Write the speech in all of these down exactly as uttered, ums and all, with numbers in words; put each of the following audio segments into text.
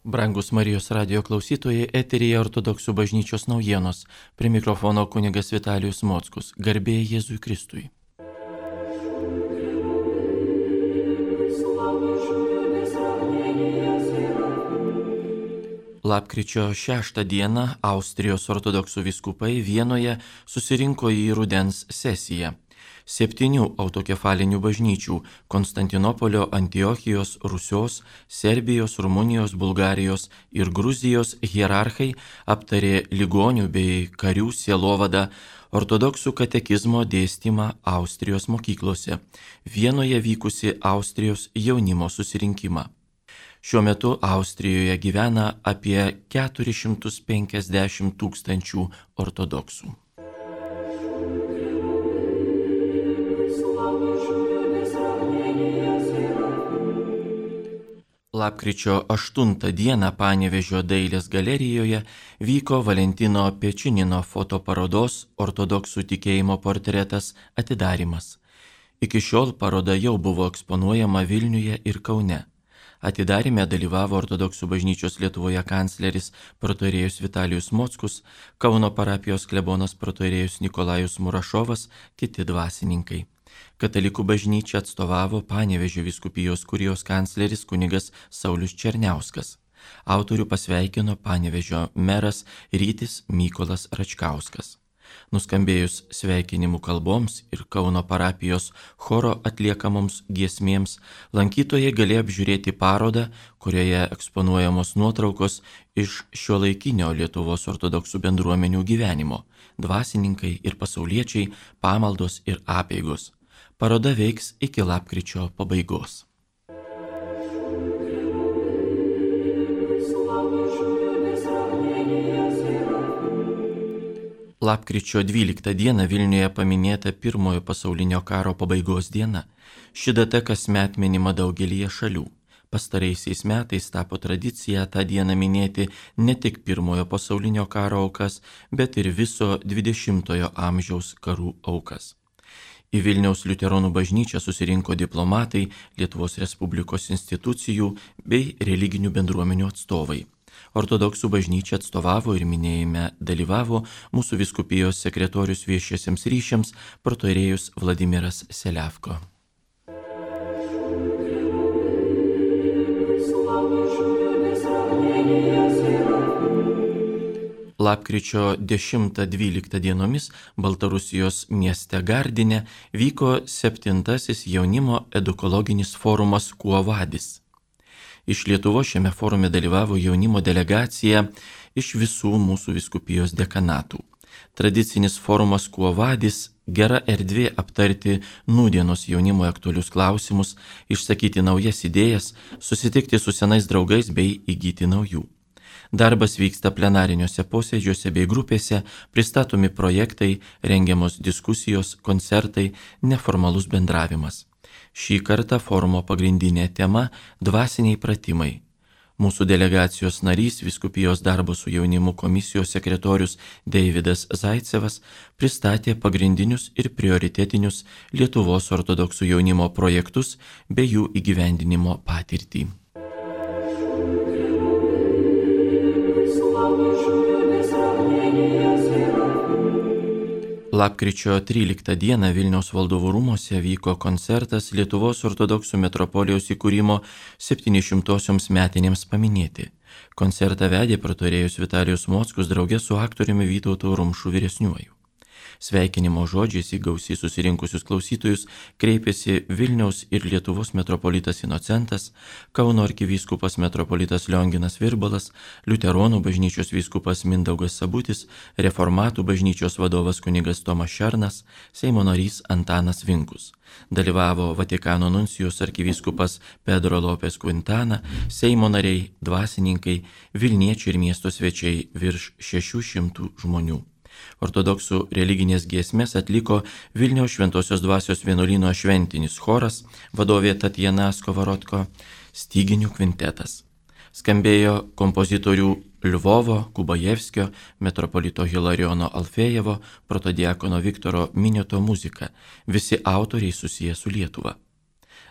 Brangus Marijos radijo klausytojai, eteryje Ortodoksų bažnyčios naujienos. Prie mikrofono kunigas Vitalijus Mockus. Garbė Jėzui Kristui. Lapkričio šeštą dieną Austrijos ortodoksų vyskupai Vienoje susirinko į rudens sesiją. Septynių autokefalinių bažnyčių – Konstantinopolio, Antiochijos, Rusios, Serbijos, Rumunijos, Bulgarijos ir Gruzijos hierarchai aptarė ligonių bei karių sielovadą, ortodoksų katekizmo dėstymą Austrijos mokyklose, Vienoje vykusi Austrijos jaunimo susirinkimą. Šiuo metu Austrijoje gyvena apie keturis šimtus penkiasdešimt tūkstančių ortodoksų. Lapkričio aštuntą dieną Panevėžio dailės galerijoje vyko Valentino Pečinino fotoparodos Ortodoksų tikėjimo portretas atidarymas. Iki šiol paroda jau buvo eksponuojama Vilniuje ir Kaune. Atidaryme dalyvavo Ortodoksų bažnyčios Lietuvoje kancleris protoirėjus Vitalijus Mockus, Kauno parapijos klebonas protoirėjus Nikolajus Murašovas, kiti dvasininkai. Katalikų bažnyčią atstovavo Panevėžio vyskupijos kurijos kancleris kunigas Saulius Černiauskas. Autorių pasveikino Panevėžio meras Rytis Mykolas Račkauskas. Nuskambėjus sveikinimų kalboms ir Kauno parapijos choro atliekamoms giesmėms, lankytojai galėjo apžiūrėti parodą, kurioje eksponuojamos nuotraukos iš šiuolaikinio Lietuvos ortodoksų bendruomenių gyvenimo, dvasininkai ir pasauliečiai, pamaldos ir apeigos. Paroda veiks iki lapkričio pabaigos. Lapkričio dvyliktą dieną Vilniuje paminėta pirmojo pasaulinio karo pabaigos diena. Ši data kasmet minima daugelyje šalių. Pastaraisiais metais tapo tradicija tą dieną minėti ne tik pirmojo pasaulinio karo aukas, bet ir viso dvidešimtojo amžiaus karų aukas. Į Vilniaus liuteronų bažnyčią susirinko diplomatai, Lietuvos Respublikos institucijų bei religinių bendruomenių atstovai. Ortodoksų bažnyčia atstovavo ir minėjime dalyvavo mūsų vyskupijos sekretorius viešiesiems ryšiams protoirėjus Vladimiras Seliavko. Lapkričio dešimtą dvyliktą dienomis Baltarusijos mieste Gardine vyko septintasis jaunimo edukologinis forumas Quo Vadis. Iš Lietuvos šiame forume dalyvavo jaunimo delegacija iš visų mūsų vyskupijos dekanatų. Tradicinis forumas Quo Vadis – gera erdvė aptarti nūdienos jaunimo aktualius klausimus, išsakyti naujas idėjas, susitikti su senais draugais bei įgyti naujų. Darbas vyksta plenariniuose posėdžiuose bei grupėse, pristatomi projektai, rengiamos diskusijos, koncertai, neformalus bendravimas. Šį kartą forumo pagrindinė tema – dvasiniai pratimai. Mūsų delegacijos narys, vyskupijos darbo su jaunimu komisijos sekretorius Deividas Zaicevas pristatė pagrindinius ir prioritetinius Lietuvos ortodoksų jaunimo projektus bei jų įgyvendinimo patirtį. Lapkričio tryliktą dieną Vilniaus valdovų rūmuose vyko koncertas Lietuvos ortodoksų metropolijos įkūrimo septynišimtosioms metinėms paminėti. Koncertą vedė protoirėjus Vitalijus Mockus drauge su aktoriumi Vytautu Rumšu vyresniuoju. Sveikinimo žodžiais į gausiai susirinkusius klausytojus kreipėsi Vilniaus ir Lietuvos metropolitas Inocentas, Kauno arkivyskupas metropolitas Lionginas Virbalas, liuteronų bažnyčios vyskupas Mindaugas Sabutis, reformatų bažnyčios vadovas kunigas Tomas Šernas, Seimo narys Antanas Vinkus. Dalyvavo Vatikano nuncijus arkivyskupas Pedro Lopes Quintana, Seimo nariai, dvasininkai, Vilniečiai ir miesto svečiai virš šešių šimtų žmonių. Ortodoksų religinės giesmės atliko Vilniaus Šventosios dvasios vienuolyno šventinis choras, vadovė Tatjana Skovarodko, styginių kvintetas. Skambėjo kompozitorių Lvovo, Kubajevskio, metropolito Hilariono Alfejevo, protodiakono Viktoro Minioto muzika, visi autoriai susiję su Lietuva.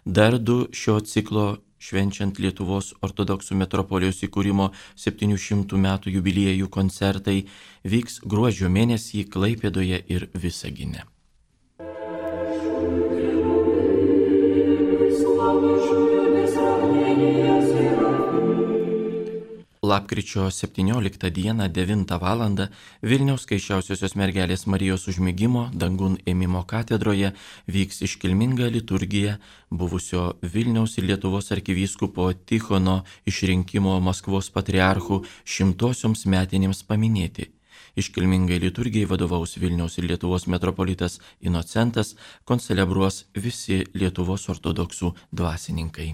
Dar du šio ciklo švenčiant Lietuvos ortodoksų metropolijos įkūrimo septynių šimtų metų jubiliejų koncertai vyks gruodžio mėnesį Klaipėdoje ir Visagine. Lapkričio septynioliktą dieną devintą valandą Vilniaus Skaisčiausiosios mergelės Marijos užmigimo dangun ėmimo katedroje vyks iškilminga liturgija buvusio Vilniaus ir Lietuvos arkivyskupo Tichono išrinkimo Maskvos patriarchų šimtosioms metinėms paminėti. Iškilmingai liturgijai vadovaus Vilniaus ir Lietuvos metropolitas Inocentas, koncelebruos visi Lietuvos ortodoksų dvasininkai.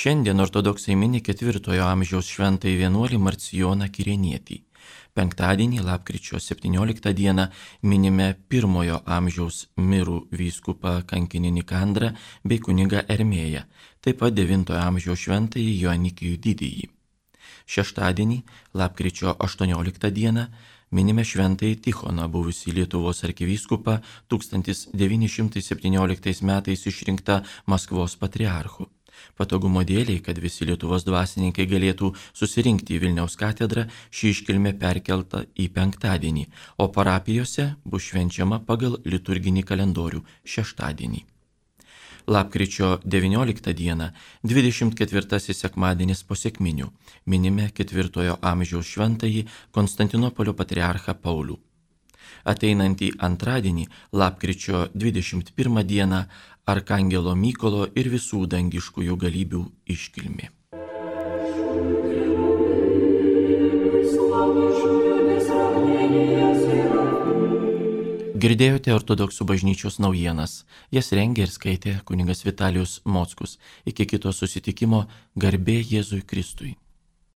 Šiandien ortodoksai mini ketvirtojo amžiaus šventąjį vienuolį Marcijoną Kirenietį. Penktadienį, lapkričio septynioliktą dieną, minime pirmojo amžiaus mirų vyskupą kankinį Nikandrą bei kunigą Ermėją, taip pat devintojo amžiaus šventąjį Joanikijų didįjį. Šeštadienį, lapkričio aštuonioliktą dieną, minime šventąjį Tichoną, buvusį Lietuvos arkivyskupą tūkstantis devyni šimtai septynioliktais metais išrinktą Maskvos patriarchu. Patogumo dėliai, kad visi Lietuvos dvasininkai galėtų susirinkti į Vilniaus katedrą, ši iškilmė perkelta į penktadienį, o parapijose bus švenčiama pagal liturginį kalendorių šeštadienį. Lapkričio devynioliktą dieną, dvidešimt ketvirtasis sekmadienis po sekminių, minime ketvirtojo amžiaus šventąjį Konstantinopolio patriarchą Paulių. Ateinantį antradienį, lapkričio dvidešimt pirmą dieną, Arkangelo Mykolo ir visų dangiškųjų galybių iškilmė. Girdėjote ortodoksų bažnyčios naujienas. Jas rengė ir skaitė kunigas Vitalijus Mockus. Iki kito susitikimo, garbė Jėzui Kristui.